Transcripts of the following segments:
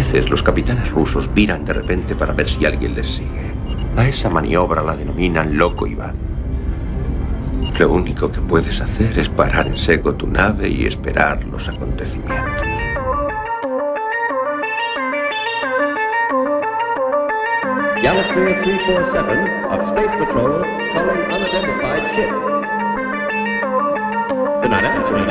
veces los capitanes rusos viran de repente para ver si alguien les sigue. A esa maniobra la denominan Loco Iván. Lo único que puedes hacer es parar en seco tu nave y esperar los acontecimientos. Galasphere 347 of Space Patrol calling unidentified ship. They're not answering.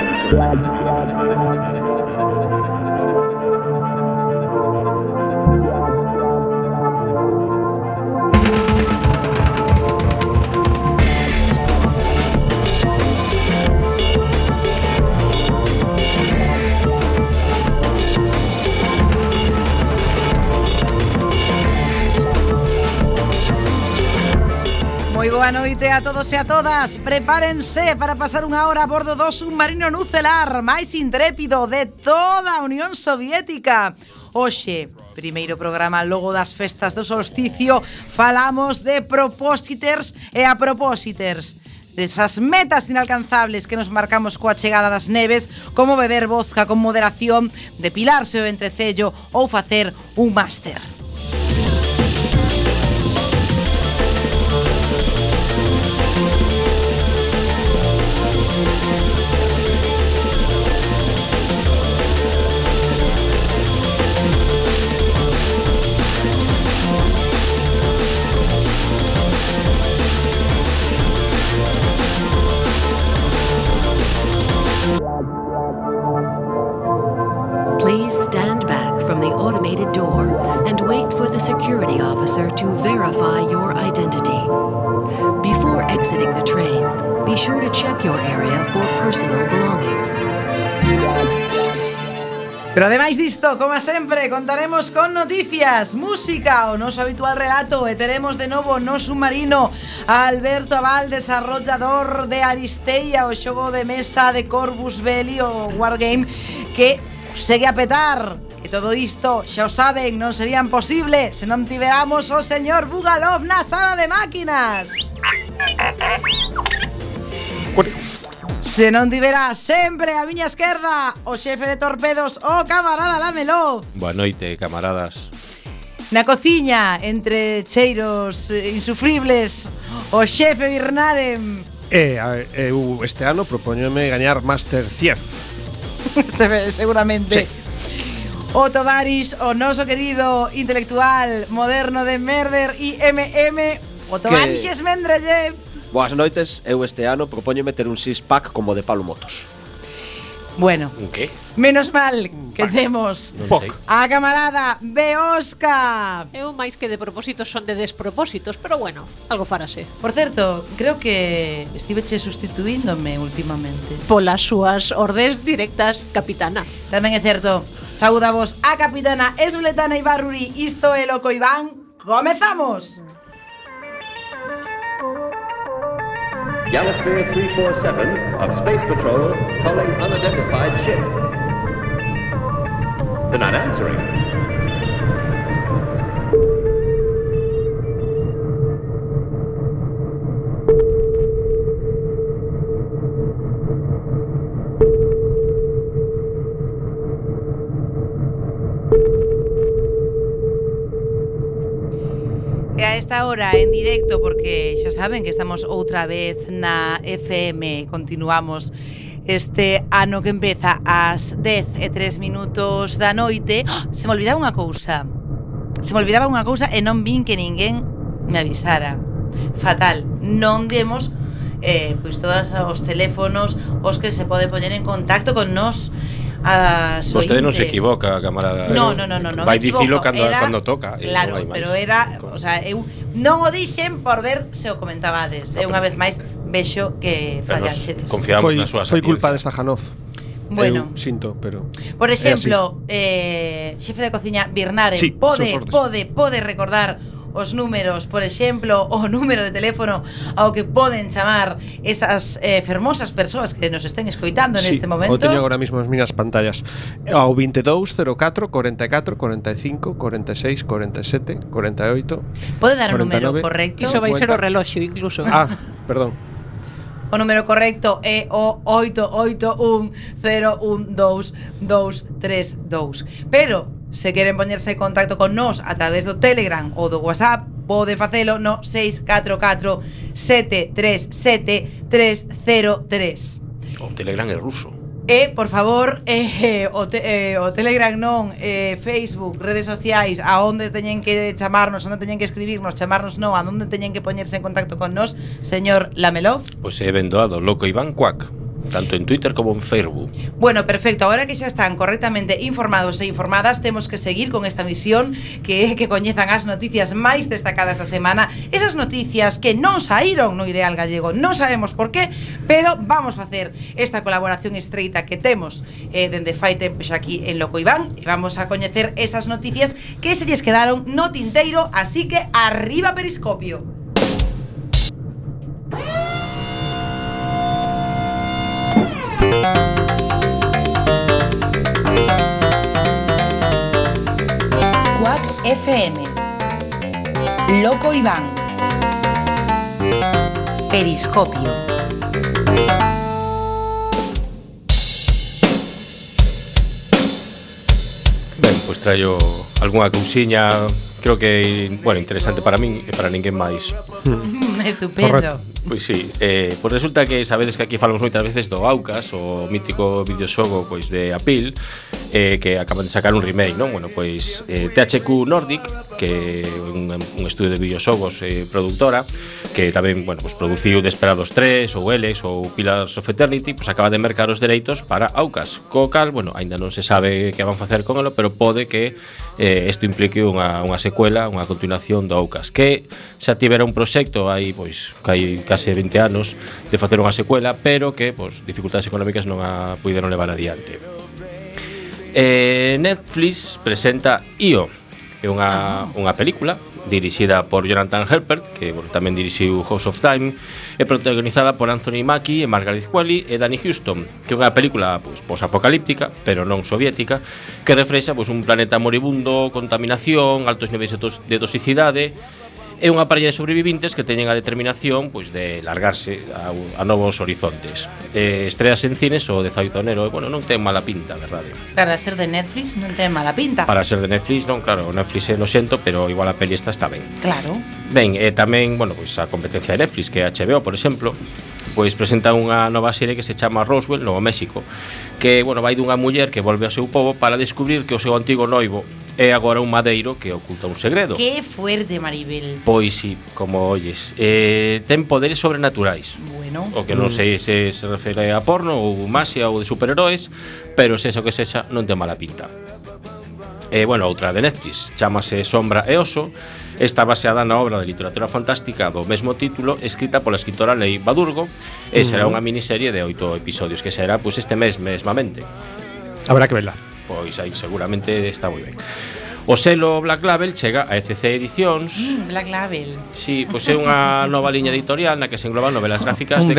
Moi boa noite a todos e a todas. Prepárense para pasar unha hora a bordo do submarino nucelar máis intrépido de toda a Unión Soviética. Hoxe, primeiro programa logo das festas do solsticio, falamos de propósiters e a propósiters. Desas metas inalcanzables que nos marcamos coa chegada das neves, como beber vodka con moderación, depilarse o entrecello ou facer un máster. Please stand back from the automated door and wait for the security officer to verify your identity. Before exiting the train, be sure to check your area for personal belongings. Pero ademais disto, como sempre, contaremos con noticias, música, o noso habitual relato e teremos de novo no submarino a Alberto Aval, desarrollador de Aristeia, o xogo de mesa de Corvus Belli, o Wargame, que segue a petar. E todo isto, xa o saben, non serían posible se non tiveramos o señor Bugalov na sala de máquinas. Se non tivera sempre a miña esquerda o xefe de torpedos, o camarada Lamelov. Boa noite, camaradas. Na cociña, entre cheiros insufribles, o xefe Birnarem. Eu este ano propóñome gañar Master Chief. Seguramente. Sí. O Tovaris, o noso querido intelectual moderno de Merder y MM, o Tovaris Mendeleev. Boas noites, eu este ano propóñome ter un six-pack como de Pablo Motos. Bueno, Un que? menos mal que temos Non sei. a camarada Beosca. Eu máis que de propósitos son de despropósitos, pero bueno, algo farase. Por certo, creo que estiveche sustituíndome últimamente. Polas súas ordes directas, capitana. Tamén é certo. Saudavos a capitana Esbletana Ibarruri. Isto é Loco Iván. Comezamos. Galasphere 347 of Space Patrol calling unidentified ship. They're not answering. E a esta hora en directo, porque xa saben que estamos outra vez na FM. Continuamos este ano que empeza ás 10:03 da noite. Se me olvidaba unha cousa. E non vin que ninguén me avisara. Fatal. Non demos pois todos os teléfonos os que se poden poñer en contacto con nos. Vostede non se equivoca, camarada. No, vai dicilo cando toca. Claro, non pero era, o sea, eu non o dixen por ver se o comentabades. E unha vez máis vexo que fallachedes. Confiamos na súa Foi culpa de sapiencia. Stajanov. Bueno, Eu sinto, pero por exemplo, xefe de cociña Birnare, Sí, pode son recordar os números, por exemplo, o número de teléfono ao que poden chamar esas fermosas persoas que nos estén escoitando neste momento. O teño agora mesmo as miñas pantallas. Ao 22 04 44 45 46 47 48. Pode dar o 49, número correcto? Iso vai ser o reloxo incluso. Perdón. O número correcto é o 881012232. Pero se queren poñerse en contacto con nós a través do Telegram ou do WhatsApp, pode facelo no 644 737 303. O Telegram é ruso. E, por favor, o Telegram non, Facebook, redes sociais, a onde teñen que chamarnos, onde teñen que escribirnos, chamarnos non, a onde teñen que poñerse en contacto con nós, señor Lamelov. Pois é vendoado Loco Iván Cuac, tanto en Twitter como en Facebook. Bueno, perfecto, agora que xa están correctamente informados e informadas, temos que seguir con esta misión que é que coñezan as noticias máis destacadas da semana, esas noticias que non saíron no Ideal Gallego, non sabemos por qué, pero vamos a facer esta colaboración estreita que temos dende fai tempo xa aquí en Loco Iván, e vamos a coñecer esas noticias que se lles quedaron no tinteiro, así que arriba Periscopio. Quack FM, Loco Iván, Periscopio. Ben, pois traio algunha cousiña, creo que, bueno, interesante para min e para ninguén máis. Estupendo. Correcto. Pois sí, pois resulta que sabedes que aquí falamos moitas veces do Aucas, o mítico videoxogo pois de Apple, que acaban de sacar un remake, non? Bueno, pois THQ Nordic, que é un estudio de videoxogos productora, que tamén, bueno, pois produciu Desperados 3 ou Elex ou Pillars of Eternity, pois acaba de mercar os dereitos para Aucas, co cal, bueno, aínda non se sabe que van facer con elo, pero pode que isto implique unha secuela, unha continuación do Aucas, que xa tivera un proxecto aí, pois, que hai case 20 anos de facer unha secuela, pero que, pois, dificultades económicas non a puideron levar adiante. Netflix presenta Io, é unha película dirixida por Jonathan Helpert, que, bueno, tamén dirixiu House of Time, e protagonizada por Anthony Mackie e Margaret Qualley e Danny Huston, que é unha película, pois, posapocalíptica, pero non soviética, que reflexa, pois, un planeta moribundo, contaminación, altos niveis de toxicidade, e unha parella de sobrevivintes que teñen a determinación, pois, de largarse a novos horizontes. Estreas en cines o 18 de enero, e, bueno, non ten mala pinta, verdade. Para ser de Netflix non ten mala pinta. Para ser de Netflix, non, claro, Netflix é noxento, pero igual a peli esta está ben. Claro. Ben, tamén, bueno, pois a competencia de Netflix, que é HBO, por exemplo, pois presenta unha nova serie que se chama Roswell, Novo México, que, bueno, vai dunha muller que volve ao seu pobo para descubrir que o seu antigo noivo é agora un madeiro que oculta un segredo. Que fuerte, Maribel. Pois sí, como olles, ten poderes sobrenaturais. Bueno. O que non sei se refere a porno ou magia ou de superheróis, pero se o que sexa non ten mala pinta. Bueno, outra de Netflix, chámase Sombra e Oso. Está baseada na obra de literatura fantástica do mesmo título, escrita pola escritora Leigh Bardugo, e será unha miniserie de 8 episodios que será, pois, este mes mesmamente. Habrá que verla. Pois aí seguramente está moi ben. O selo Black Label chega a ECC Edicións. Black Label. Sí, pois é unha nova liña editorial na que se engloban novelas gráficas de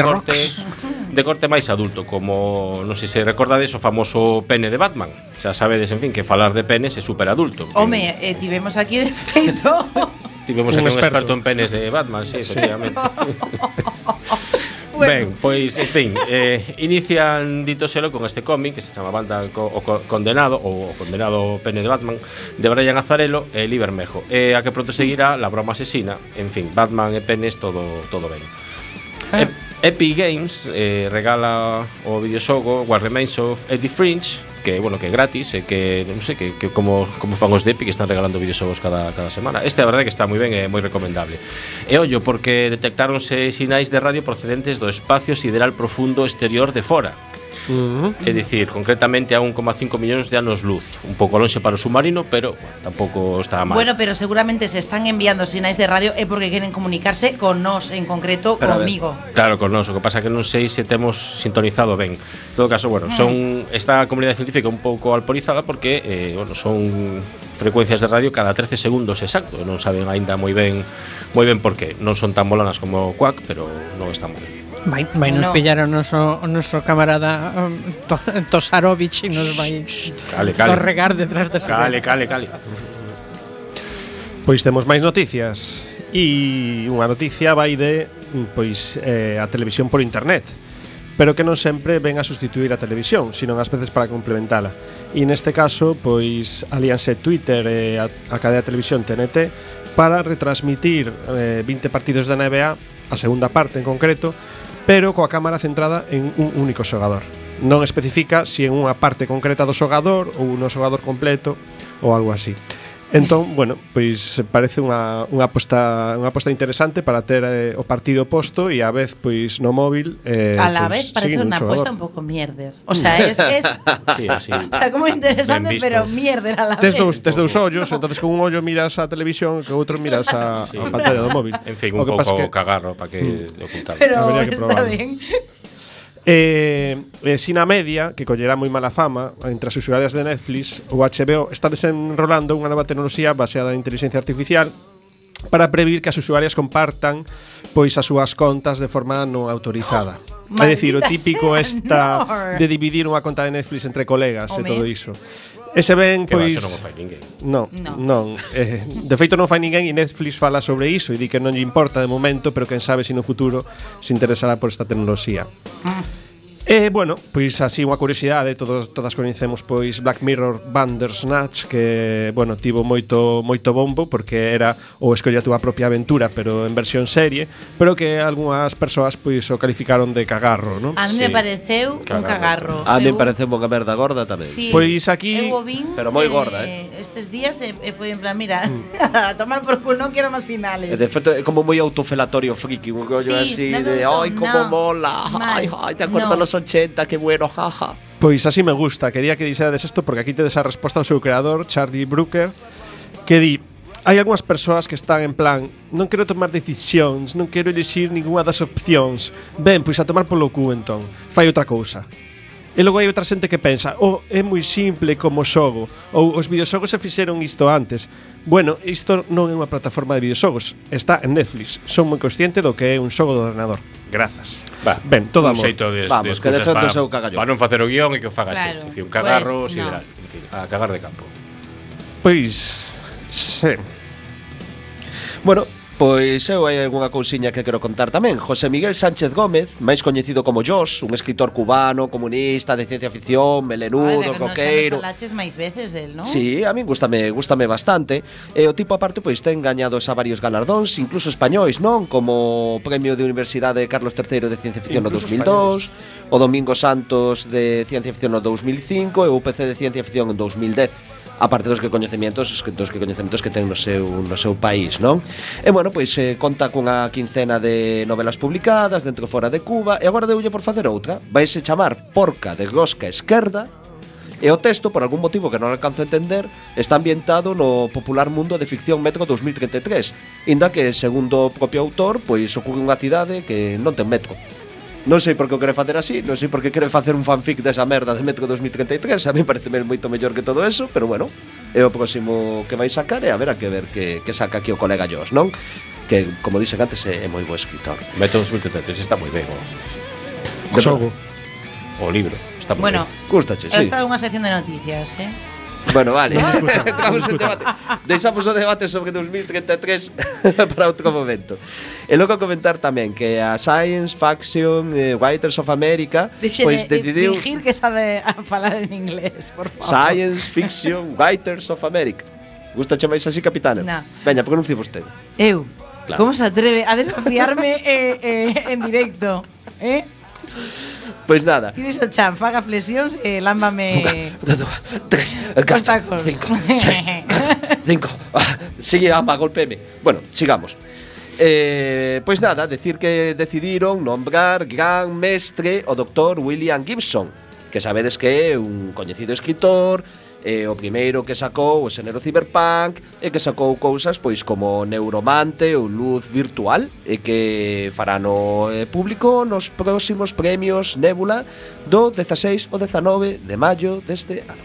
corte máis adulto, como, non sei se recordades, o famoso pene de Batman. Xa sabedes, en fin, que falar de penes é super adulto. Home, tivemos aquí de feito. Tivemos aquí un experto en penes de Batman, sí, efectivamente. Bueno. Ben, pois, en fin, inician dito selo con este cómic que se chama Banda o Condenado, ou o Condenado Pene de Batman, de Brian Azzarello e Lee Bermejo, a que pronto seguirá La Broma Asesina. En fin, Batman e penes, todo ben. Epic Games regala o videoxogo What Remains of Edith Finch, que, bueno, que é gratis, e que non sei que como fan os de Epic, que están regalando videoxogos cada semana. Este é a verdade que está moi ben e moi recomendable. E ollo, porque detectáronse sinais de radio procedentes do espacio sideral profundo exterior de fora. É dicir, concretamente a 1,5 millóns de anos luz. Un pouco lonxe para o submarino, pero, bueno, tampouco está mal. Bueno, pero seguramente se están enviando sinais de radio é porque queren comunicarse con nós, en concreto, pero comigo. Claro, con nós, o que pasa que non sei se temos sintonizado ben. En todo caso, bueno, esta comunidade científica un pouco alporizada porque, bueno, son frecuencias de radio cada 13 segundos exacto. Non saben aínda moi ben por qué. Non son tan molanas como Quack, pero non están moi ben. Vai nos pillar o noso camarada Tosarovich e nos vai zorregar detrás de Cale. Pois temos máis noticias. E unha noticia vai de, pois, a televisión por internet. pero que non sempre ven a sustituir a televisión, sino ás veces para complementala. E neste caso, pois alíanse Twitter e a cadea de televisión TNT para retransmitir 20 partidos da NBA, a segunda parte en concreto, pero coa cámara centrada en un único xogador. Non especifica se en unha parte concreta do xogador ou no xogador completo ou algo así. Entón, bueno, pois parece unha aposta interesante para ter o partido posto e a vez pois no móvil a la vez parece unha aposta un pouco mierder. O sea, es sí, o sea, como interesante, pero mierder a la vez. Tes dous ollos, entonces con un ollo miras a televisión e con outro miras a pantalla do móvil. En fin, un pouco cagarro para que lo ocultamos. Pero está ben. Sina Media, que collerá moi mala fama entre as usuarias de Netflix, o HBO está desenrolando unha nova tecnoloxía baseada en inteligencia artificial para previr que as usuarias compartan pois as súas contas de forma non autorizada. É dicir, o típico de dividir unha conta de Netflix entre colegas e todo iso. Ese ben, pois... non o fai ninguén. Non. De feito non fai ninguén e Netflix fala sobre iso e di que non lle importa de momento, pero quen sabe se no futuro se interesará por esta tecnoloxía. Bueno, pois así unha curiosidade, todas coñecemos pois Black Mirror Bandersnatch, que, bueno, tivo moito bombo porque era o escolla a túa propia aventura, pero en versión serie, pero que algunhas persoas pois o calificaron de cagarro, non? A mí me pareceu un cagarro. A mí me pareceu unha merda gorda tamén. Sí, pois aquí, pero moi gorda, estes días foi en plan, mira, a tomar por culo, non quero máis finales. De feito, é como moi autofelatorio friki, un rollo así de, ai, como mola, ai, te acordas los 80, que bueno, jaja. Pois así me gusta, quería que dixerades isto porque aquí tedes a resposta ao seu creador, Charlie Brooker, que di: hai algunhas persoas que están en plan, non quero tomar decisións, non quero elixir ningunha das opcións. Ben, pois a tomar polo cu entón, fai outra cousa. E logo hai outra xente que pensa: é moi simple como xogo, ou os videoxogos se fixeron isto antes. Bueno, isto non é unha plataforma de videoxogos, está en Netflix. Son moi consciente do que é un xogo do ordenador. Grazas. Ben, todo amor. Vamos, que defendo o seu cagallón. Para non facer o guión e que o faga así. Un cagarro sideral. En fin, a cagar de campo. Pois, sí. Bueno, pois eu hai algunha cousiña que quero contar tamén. José Miguel Sánchez Gómez, máis coñecido como Josh, un escritor cubano, comunista, de ciencia ficción, melenudo, roqueiro. Falaches máis veces del, non? Sí, a mí gústame bastante. E o tipo aparte pois ten gañados a varios galardóns, incluso españois, non? Como o Premio de Universidade Carlos III de Ciencia Ficción no 2002, o Domingo Santos de Ciencia Ficción no 2005 e o UPC de Ciencia Ficción en 2010. Aparte dos que coñecementos que ten no seu país, non? E bueno, pois conta cunha quincena de novelas publicadas dentro e fora de Cuba, e agora deulle por facer outra. Vaise chamar Porca de Rosca Esquerda, e o texto, por algún motivo que non alcanzo a entender, está ambientado no popular mundo de ficción Metro 2033, inda que, segundo o propio autor, pois ocorre unha cidade que non ten metro. Non sei por que o quere facer así, non sei por que quere facer un fanfic desa merda de Metro 2033, a mí parece moito mellor que todo eso, pero bueno, é o próximo que vai sacar e a ver que saca aquí o colega Josh, non? Que, como dixen antes, é moi bo escritor. Metro 2033 está moi ben, o xogo. O libro, está moi ben. Bueno, gústache, sí. Esta é unha sección de noticias, Bueno, vale. Entramos en debate. Deixamos o debate sobre 2033 para outro momento. E logo comentar tamén que a Science Fiction Writers of America pois decidiu fingir que sabe falar en inglés, por favor. Science Fiction Writers of America. Gustache máis así, capitana? No. Veña, pronuncie vostede. Eu. Claro. Como se atreve a desafiarme en directo? Pois nada. Tires o chan, faga flexións e lámbame 3, 4, 5, 6, 4, 5. Sigue, golpeme. Bueno, sigamos. Pois nada, decir que decidiron nombrar gran mestre o Dr. William Gibson, que sabedes que é un coñecido escritor, o primeiro que sacou o xénero cyberpunk e que sacou cousas pois como Neuromante ou Luz Virtual e que fará no público nos próximos premios Nebula do 16 ao 19 de maio deste ano.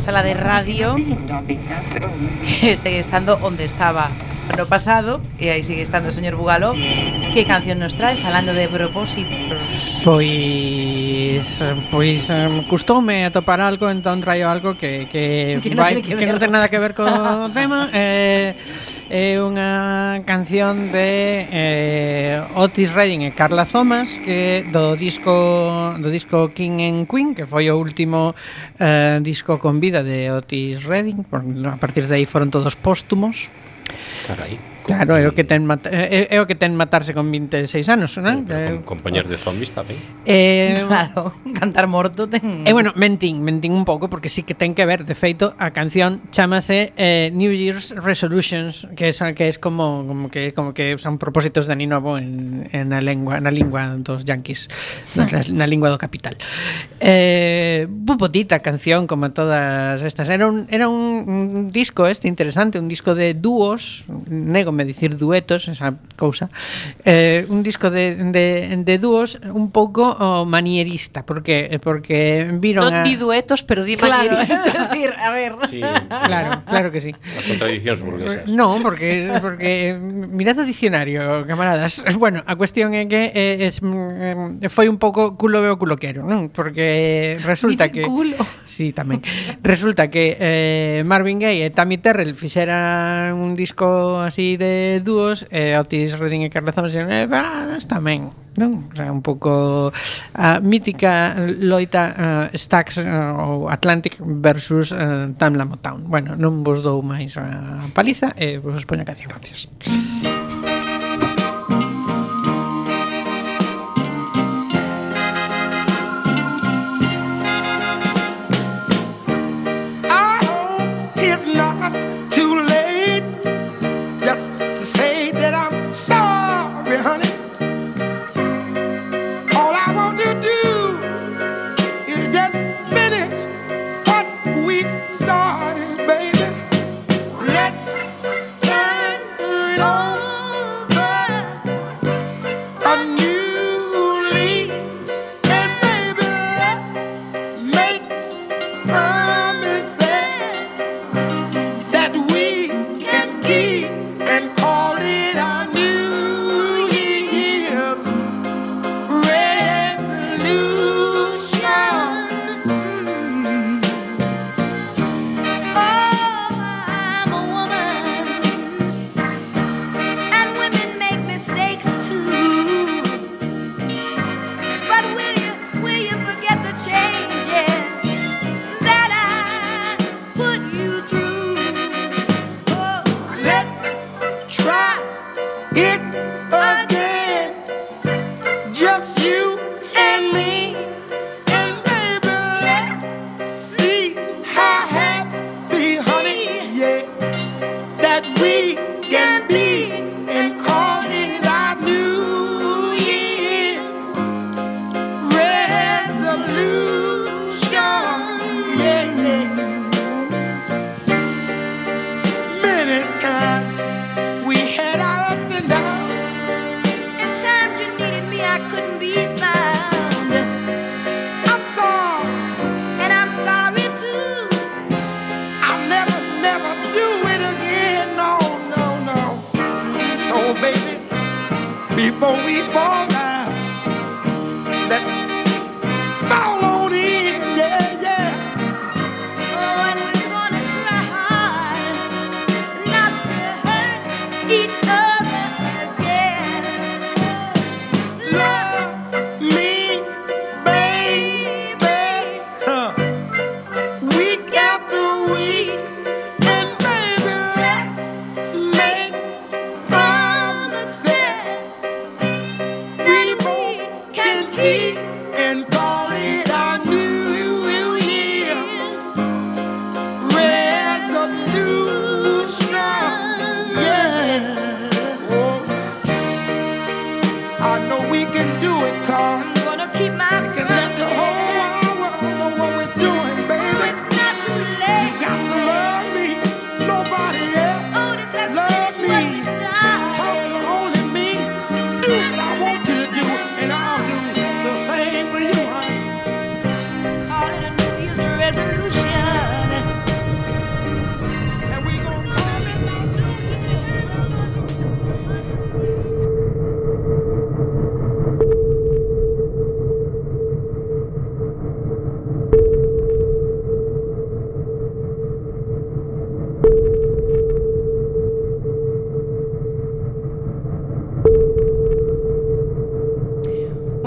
sala de radio, que segue estando onde estaba ano pasado, e aí sigue estando o señor Bugalov. Que canción nos trae falando de propósitos? Pois custoume atopar algo, entón traio algo que non ten nada que ver co tema. É unha canción de Otis Redding e Carla Thomas, que do disco King and Queen, que foi o último disco con vida de Otis Redding. A partir de aí foron todos póstumos. Carai. Claro, é o que ten matarse con 26 anos, non? Compañer de zombies tamén. Claro, cantar morto ten. Bueno, mentín un pouco, porque sí que ten que ver. De feito, a canción chamase New Year's Resolutions, que es como que son propósitos de ano novo na lingua dos yankees, na lingua do capital. Bupotita canción, como todas estas. Era un disco interesante, un disco de dúos, nego me dicir duetos, esa cousa, un disco de dúos un pouco manierista, porque viron non di duetos, pero di manierista. Claro, decir, a ver. Sí, claro que sí. As contradicións burguesas. No, porque mirad o dicionario, camaradas. Bueno, a cuestión é que foi un pouco culo veo culo quero, non? Porque resulta que culo. Sí, tamén. Resulta que Marvin Gaye e Tammy Terrell fixeran un disco así de dúos, Otis Redding e Carla Thomas está ben, non? O sea, un pouco a mítica loita Stax ou Atlantic versus Tamla Motown. Bueno, non vos dou máis a paliza e vos poño a canción. Gracias.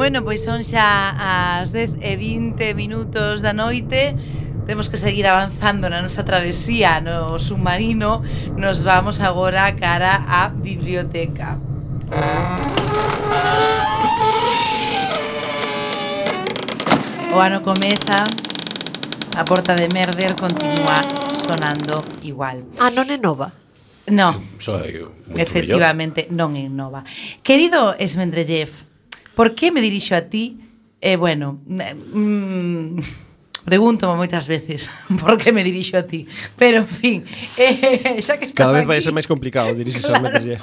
Bueno, pois son xa as 10:20 da noite. Temos que seguir avanzando na nosa travesía no submarino. Nos vamos agora cara á biblioteca. O ano comeza, a porta de Merder continúa sonando igual. Non é nova? No, Soy efectivamente non é nova. Querido Esmendrellev, por que me dirixo a ti? Bueno, pregúntome moitas veces por que me dirixo a ti. Pero, en fin, xa que estás Cada vez aquí, vai ser máis complicado dirixirse ao Medellín.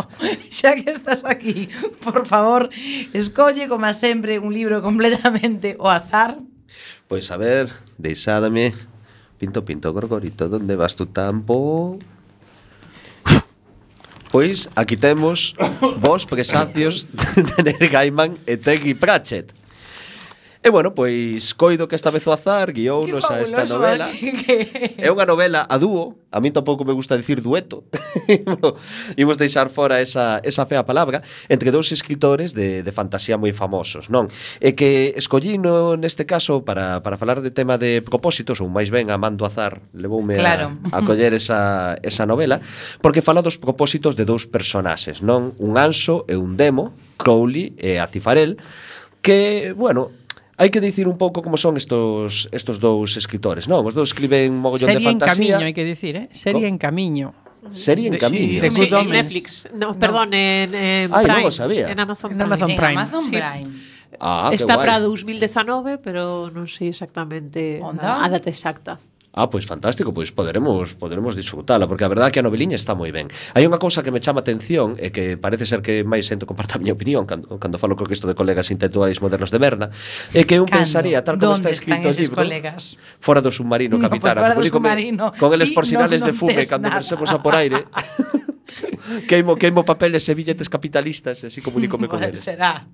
xa que estás aquí, por favor, escolle, como sempre, un libro completamente ao azar. Pois a ver, deixádame. Pinto, gorgorito, donde vas tu tampo? Pois aquí temos vos presacios de Neil Gaiman e Terry Pratchett. E bueno, pois coido que esta vez o azar guiounos a esta novela. É unha novela a dúo. A mí tampouco me gusta dicir dueto. Imos deixar fora esa fea palabra entre dous escritores de fantasía moi famosos, non? E que escollino neste caso para falar de tema de propósitos, ou máis ben a mando azar levoume claro. a coller esa novela, porque fala dos propósitos de dous personaxes, non? Un anxo e un demo, Crowley e Acifarel, que, bueno, hai que dicir un pouco como son estos dous escritores, non? Os dous escriben mogollón de fantasía. Serie en camiño, hai que dicir, ¿Cómo? Serie en camiño. Serie en camiño. de Good En Omens. Netflix. No, perdón, en Ai, Prime. non o sabía. En Amazon En Prime. Amazon En Prime. Amazon Sí. Prime. Ah, Está que para guai. 2019, pero non sei exactamente Onda? a data exacta. Ah, pois fantástico, pois poderemos disfrutala, porque a verdade é que a noveliña está moi ben. Hai unha cousa que me chama atención e que parece ser que máis xente comparta a miña opinión cando falo con isto de colegas intelectuais modernos de Berna, é que un Cando? pensaría, tal como está Donde escrito o están eses libro, colegas? fora do submarino, No, capitana, pues fora do como digo, submarino, con eles ti por sinales non de fume tes cando nada. versemos a por aire. queimo papeles e billetes capitalistas, e así comunícome con eles. Será.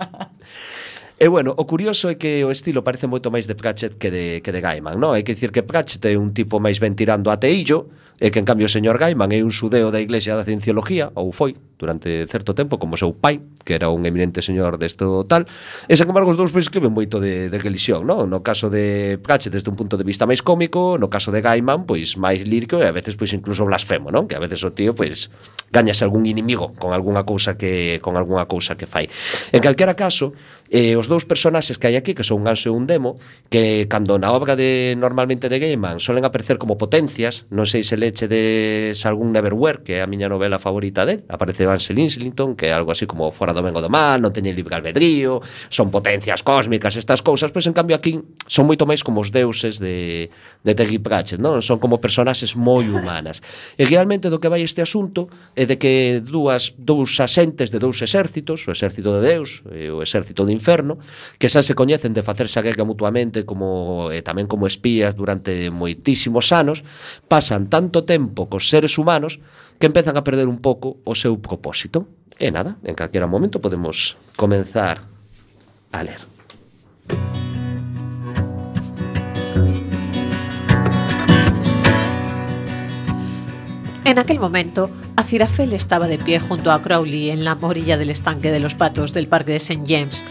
E bueno, o curioso é que o estilo parece moito máis de Pratchett que de Gaiman, non? Hai que dicir que Pratchett é un tipo máis ben tirando a teillo, e que en cambio o señor Gaiman é un xudeo da Iglesia da Cienciología, ou foi, durante certo tempo, como seu pai, que era un eminente señor desto tal, e sen embargo os dous pois escriben moito de religión, non? No caso de Pratchett desde un punto de vista máis cómico, no caso de Gaiman, pois máis lírico e a veces pois incluso blasfemo, non? Que a veces o tío pois gañase algún inimigo con algunha cousa que fai. En calquera caso, os dous personaxes que hai aquí, que son un anxo e un demo, que cando na obra de normalmente de Gaiman solen aparecer como potencias, non sei se leche de algún Neverwhere, que é a miña novela favorita del, aparece Ansel Islington, que é algo así como fora do ben ou do mal, non teñen libre albedrío, son potencias cósmicas, estas cousas, pois en cambio aquí son moito máis como os deuses de Terry Pratchett, non? Son como personaxes moi humanas. E realmente do que vai este asunto é de que dous asentes de dous exércitos, o exército de Deus e o exército do inferno, que xa se coñecen de facerse a guerra mutuamente como tamén como espías durante moitísimos anos, pasan tanto tempo cos seres humanos que empezan a perder un pouco o seu propósito. E nada, en calquera momento podemos comenzar a ler. En aquel momento, Aziraphale estaba de pie junto a Crowley en la orilla del estanque de los patos del parque de St. James.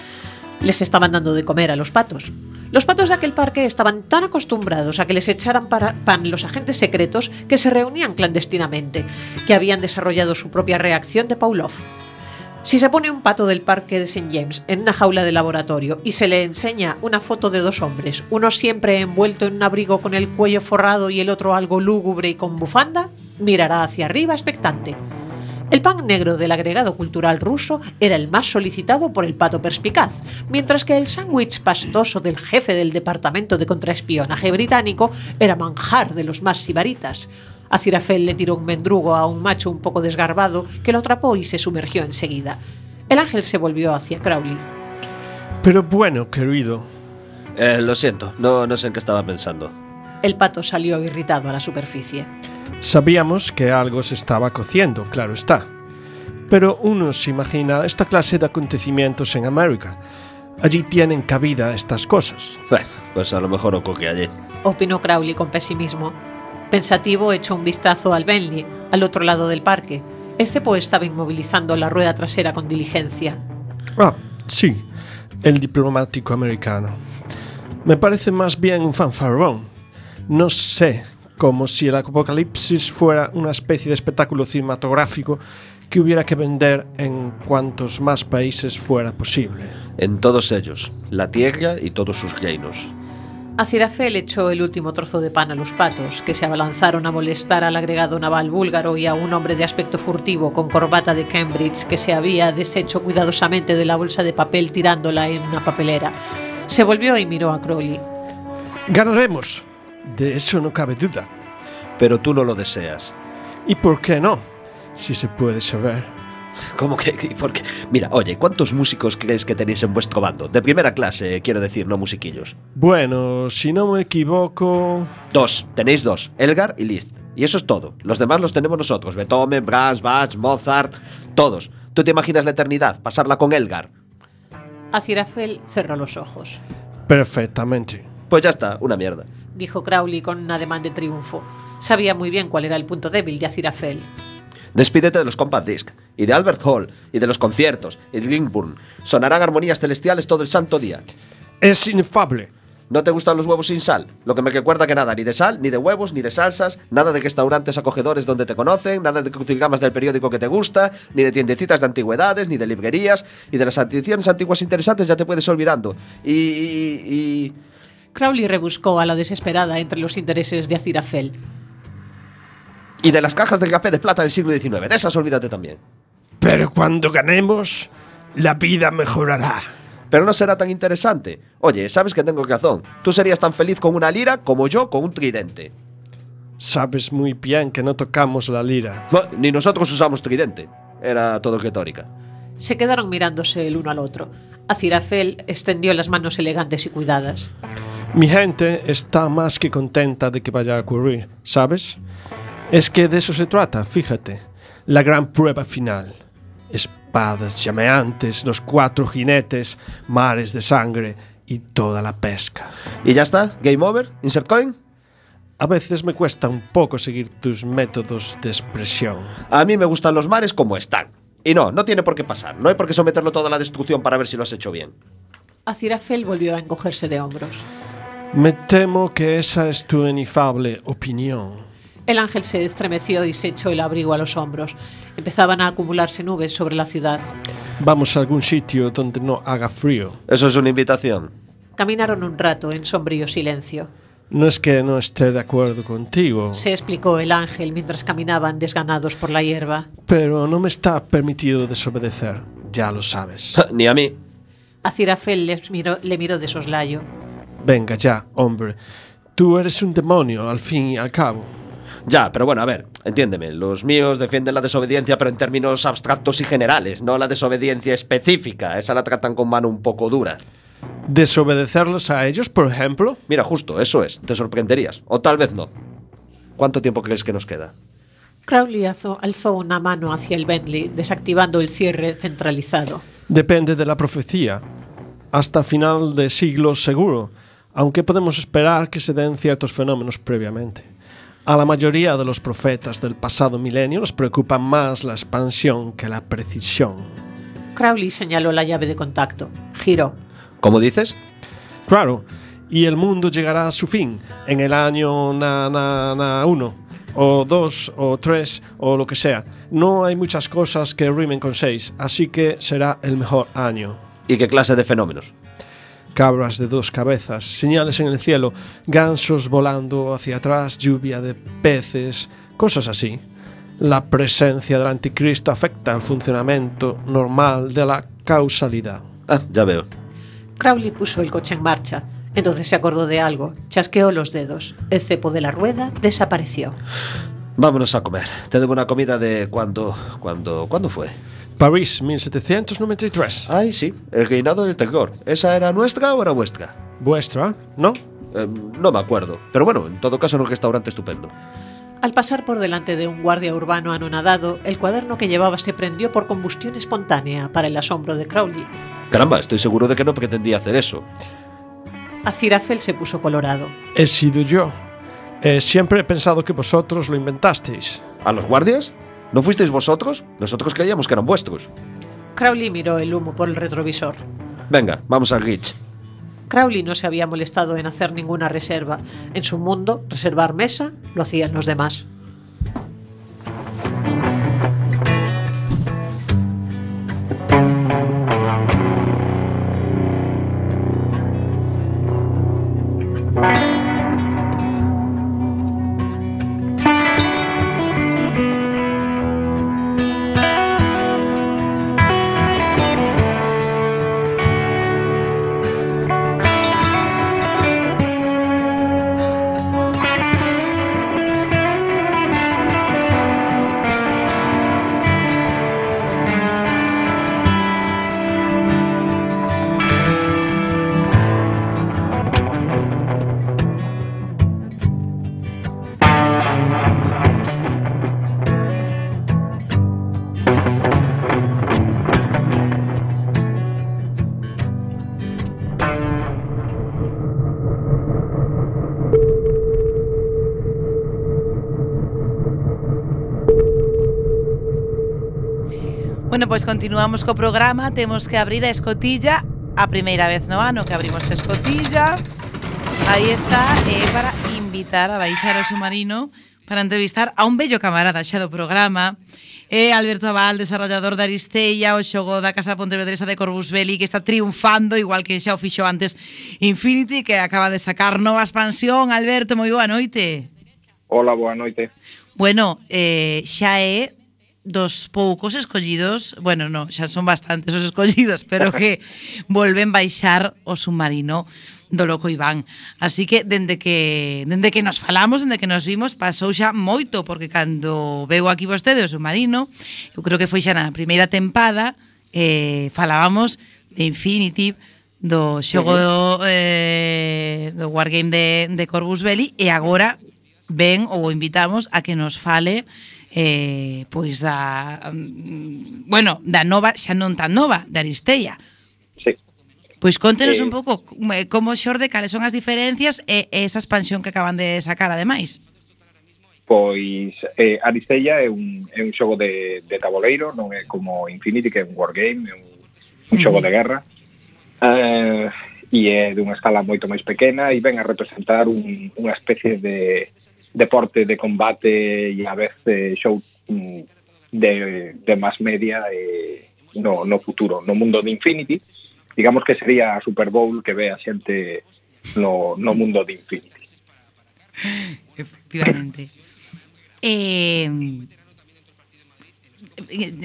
Les estaban dando de comer a los patos. Los patos de aquel parque estaban tan acostumbrados a que les echaran pan los agentes secretos que se reunían clandestinamente, que habían desarrollado su propia reacción de Pavlov. Si se pone un pato del parque de St. James en una jaula de laboratorio y se le enseña una foto de dos hombres, uno siempre envuelto en un abrigo con el cuello forrado y el otro algo lúgubre y con bufanda, mirará hacia arriba expectante. El pan negro del agregado cultural ruso era el más solicitado por el pato perspicaz, mientras que el sándwich pastoso del jefe del departamento de contraespionaje británico era manjar de los más sibaritas. Aziraphale le tiró un mendrugo a un macho un poco desgarbado que lo atrapó y se sumergió enseguida. El ángel se volvió hacia Crowley. Pero bueno, querido. Lo siento, no sé en qué estaba pensando. El pato salió irritado a la superficie. Sabíamos que algo se estaba cociendo, claro está. Pero uno se imagina esta clase de acontecimientos en América. Allí tienen cabida estas cosas. Bueno, pues a lo mejor ocurre allí. Opinó Crowley con pesimismo. Pensativo, echó un vistazo al Bentley, al otro lado del parque. El cepo estaba inmovilizando la rueda trasera con diligencia. Ah, sí. el diplomático americano. Me parece más bien un fanfarrón. No sé, como si el apocalipsis fuera una especie de espectáculo cinematográfico que hubiera que vender en cuantos más países fuera posible. En todos ellos, la tierra y todos sus reinos. Aziraphale echó el último trozo de pan a los patos, que se abalanzaron a molestar al agregado naval búlgaro y a un hombre de aspecto furtivo con corbata de Cambridge que se había deshecho cuidadosamente de la bolsa de papel tirándola en una papelera. Se volvió y miró a Crowley. ¡Ganaremos! De eso no cabe duda. Pero tú no lo deseas. ¿Y por qué no? Si se puede saber. ¿Cómo que? Porque, mira, oye, ¿cuántos músicos crees que tenéis en vuestro bando? De primera clase, quiero decir, no musiquillos. Bueno, si no me equivoco... 2, tenéis 2, Elgar y Liszt. Y eso es todo. Los demás los tenemos nosotros. Beethoven, Brahms, Bach, Mozart, todos. ¿Tú te imaginas la eternidad? Pasarla con Elgar. Aziraphale cerró los ojos. Perfectamente. Pues ya está, una mierda. Dijo Crowley con un ademán de triunfo. Sabía muy bien cuál era el punto débil de Aziraphale. Despídete de los compact disc, y de Albert Hall, y de los conciertos, y de Ringburn. Sonarán armonías celestiales todo el santo día. Es inefable. ¿No te gustan los huevos sin sal? Lo que me recuerda que nada, ni de sal, ni de huevos, ni de salsas, nada de restaurantes acogedores donde te conocen, nada de crucigramas del periódico que te gusta, ni de tiendecitas de antigüedades, ni de librerías, y de las ediciones antiguas interesantes ya te puedes olvidando. Y... Crowley rebuscó a la desesperada entre los intereses de Aziraphale. Y de las cajas de café de plata del siglo XIX, de esas olvídate también. Pero cuando ganemos, la vida mejorará. Pero no será tan interesante. Oye, sabes que tengo razón. Tú serías tan feliz con una lira como yo con un tridente. Sabes muy bien que no tocamos la lira. No, ni nosotros usamos tridente. Era todo retórica. Se quedaron mirándose el uno al otro. Aziraphale extendió las manos elegantes y cuidadas. Mi gente está más que contenta de que vaya a ocurrir, ¿sabes? Es que de eso se trata, fíjate. La gran prueba final. Espadas llameantes, los 4 jinetes, mares de sangre y toda la pesca. ¿Y ya está? ¿Game over? ¿Insert coin? A veces me cuesta un poco seguir tus métodos de expresión. A mí me gustan los mares como están. Y no tiene por qué pasar. No hay por qué someterlo todo a la destrucción para ver si lo has hecho bien. Aziraphale volvió a encogerse de hombros. Me temo que esa es tu inefable opinión. El ángel se estremeció y se echó el abrigo a los hombros. Empezaban a acumularse nubes sobre la ciudad. Vamos a algún sitio donde no haga frío. Eso es una invitación. Caminaron un rato en sombrío silencio. No es que no esté de acuerdo contigo, se explicó el ángel mientras caminaban desganados por la hierba. Pero no me está permitido desobedecer, ya lo sabes. Ni a mí. Aziraphale le miró de soslayo. Venga ya, hombre. Tú eres un demonio, al fin y al cabo. Ya, pero bueno, a ver, entiéndeme. Los míos defienden la desobediencia, pero en términos abstractos y generales, no la desobediencia específica. Esa la tratan con mano un poco dura. ¿Desobedecerlos a ellos, por ejemplo? Mira, justo, eso es. Te sorprenderías. O tal vez no. ¿Cuánto tiempo crees que nos queda? Crowley alzó una mano hacia el Bentley, desactivando el cierre centralizado. Depende de la profecía. Hasta final de siglo seguro, aunque podemos esperar que se den ciertos fenómenos previamente. A la mayoría de los profetas del pasado milenio nos preocupa más la expansión que la precisión. Crowley señaló la llave de contacto. Giró. ¿Cómo dices? Claro, y el mundo llegará a su fin en el año 1, o 2, o 3, o lo que sea. No hay muchas cosas que rimen con 6, así que será el mejor año. ¿Y qué clase de fenómenos? Cabras de 2 cabezas, señales en el cielo, gansos volando hacia atrás, lluvia de peces, cosas así. La presencia del anticristo afecta al funcionamiento normal de la causalidad. Ah, ya veo. Crowley puso el coche en marcha. Entonces se acordó de algo. Chasqueó los dedos. El cepo de la rueda desapareció. Vámonos a comer. Te debo una comida de ¿Cuándo fue? París, 1793. Ay, sí, el reinado del terror. ¿Esa era nuestra o era vuestra? ¿Vuestra? ¿No? No me acuerdo. Pero bueno, en todo caso era un restaurante estupendo. Al pasar por delante de un guardia urbano anonadado, el cuaderno que llevaba se prendió por combustión espontánea, para el asombro de Crowley. Caramba, estoy seguro de que no pretendía hacer eso. Aziraphale se puso colorado. He sido yo. Siempre he pensado que vosotros lo inventasteis. ¿A los guardias? ¿No fuisteis vosotros? Nosotros creíamos que eran vuestros. Crowley miró el humo por el retrovisor. Venga, vamos al Glitch. Crowley no se había molestado en hacer ninguna reserva. En su mundo, reservar mesa lo hacían los demás. Bueno, pois continuamos co programa. Temos que abrir a escotilla. A primeira vez no ano que abrimos a escotilla. Aí está, para invitar a baixar o submarino para entrevistar a un bello camarada xa do programa. Alberto Abal, desarrollador da Aristella, o xogo da Casa Pontevedresa de Corvus Belli, que está triunfando, igual que xa o fixo antes Infinity, que acaba de sacar nova expansión. Alberto, moi boa noite. Hola, boa noite. Bueno, xa é dos poucos escollidos, bueno, no, xa son bastantes os escollidos, pero que volven baixar o submarino do Loco Iván. Así que dende que nos falamos, dende que nos vimos, pasou xa moito, porque cando veu aquí vostede o submarino, eu creo que foi xa na primeira tempada, falábamos de Infinity, do xogo do Wargame de Corvus Belli, e agora ven ou invitamos a que nos fale pois da da nova, xa non tan nova, da Aristella. Sí. Pois contenos un pouco como xorde, cales son as diferencias e esa expansión que acaban de sacar ademais. Pois Aristella é un xogo de taboleiro, non é como Infinity, que é un wargame, é un xogo de guerra, e é dunha escala moito máis pequena e ven a representar unha especie de deporte de combate e a vez show de más media no futuro, no mundo de Infinity. Digamos que sería a Super Bowl que ve a xente no mundo de Infinity. Efectivamente.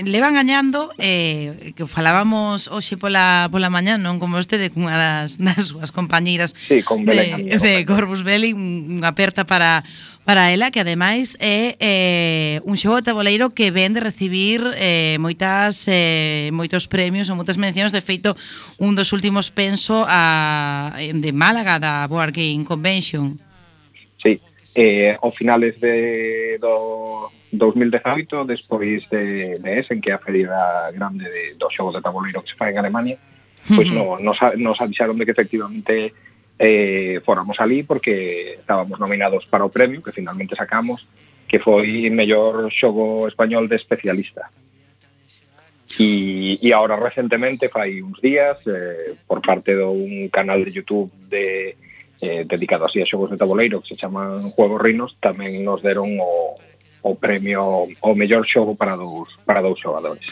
Levan gañando que falábamos hoxe pola mañá, non como vostede, cunha das súas compañeiras, sí, con Belén, de Corvus Belli, unha aperta para ela, que ademais é un xogo de taboleiro que ven de recibir moitos premios ou moitas mencións. De feito, un dos últimos penso de Málaga, da Board Game Convention. Sí, ao finales do 2018, despois de Essen, que é a feira grande do xogo de taboleiro que se fai en Alemania, pois nos avisaron de que efectivamente fóramos ali porque estábamos nominados para o premio que finalmente sacamos, que foi mellor xogo español de especialista. E agora recentemente, fai uns días, por parte dun canal de YouTube dedicado así a xogos de taboleiro que se chaman Juegos Rinos, tamén nos deron o premio ao mellor xogo para dous xogadores.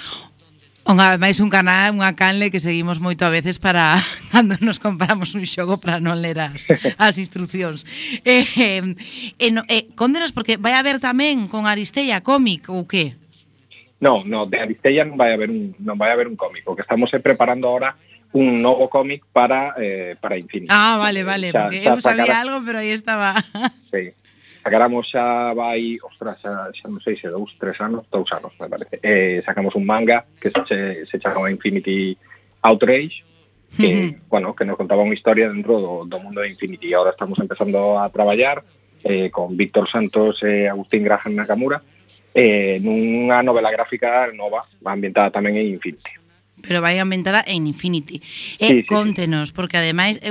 Ademais un canal, unha canle que seguimos moito a veces para cando nos compramos un xogo para non ler as instruccións. Condenos, porque vai haber tamén con Aristella cómic ou que? No, de Aristella non vai haber un cómic. O que estamos preparando ahora un novo cómic para Infinity. Vale, porque eu sabía algo, pero aí estaba. Sí. Sacaramos xa vai, xa non sei se 2 anos, me parece. Sacamos un manga que se chama Infinity Outrage, que, que nos contaba unha historia dentro do mundo de Infinity. Ahora estamos empezando a traballar con Víctor Santos e Agustín Graham Nakamura nunha novela gráfica nova, ambientada tamén en Infinity. Pero vai ambientada en Infinity. Sí, contenos, porque ademais,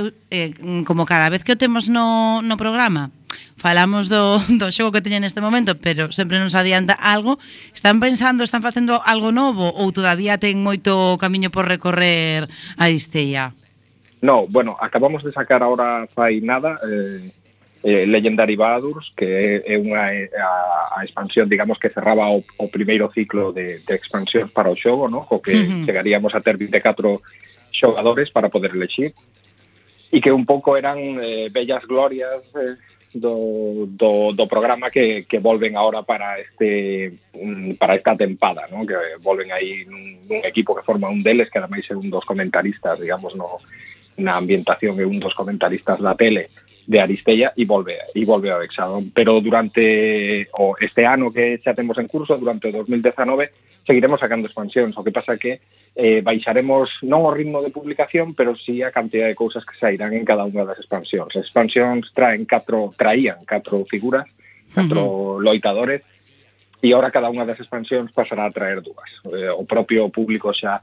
como cada vez que o temos no programa, falamos do xogo que teñen neste momento, pero sempre nos adianta algo. Están facendo algo novo ou todavía ten moito camiño por recorrer Aristella? No, bueno, acabamos de sacar ahora fai nada Legendary Baldur's, que é a expansión, digamos, que cerraba o primeiro ciclo de expansións para o xogo, ¿no? O que chegaríamos a ter 24 xogadores para poder elegir, e que un pouco eran bellas glorias do programa que volven ahora para esta tempada, ¿no? Que volven aí nun equipo que forma un deles, que ademais é un dos comentaristas, digamos, na ambientación, é un dos comentaristas da tele de Aristella, e volve ao Hexadón. Pero durante este ano que xa temos en curso, durante o 2019, seguiremos sacando expansións. O que pasa que baixaremos non o ritmo de publicación, pero sí a cantidad de cousas que sairán en cada unha das expansións. As expansións traían 4 figuras, 4 loitadores, e ahora cada unha das expansións pasará a traer 2. O propio público xa